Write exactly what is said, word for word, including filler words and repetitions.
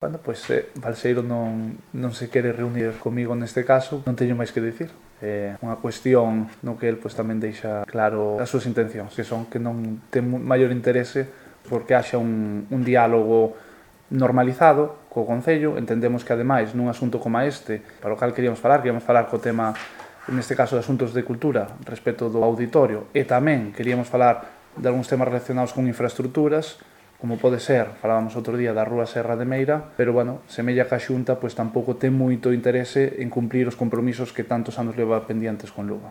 Bueno, pois eh, Balseiro non, non se quere reunir comigo neste caso, non teño máis que dicir. É unha cuestión no que el pois, tamén deixa claro as súas intencións, que son que non ten maior interese porque haxa un, un diálogo normalizado co Concello. Entendemos que, ademais, nun asunto como este, para o cal queríamos falar, queríamos falar co tema, neste caso, de asuntos de cultura, respecto do auditorio, e tamén queríamos falar de algúns temas relacionados con infraestructuras, como pode ser, falábamos outro día da Rúa Serra de Meira, pero, bueno, semella que a Xunta pois, tampouco ten moito interese en cumplir os compromisos que tantos anos leva pendientes con Lugo.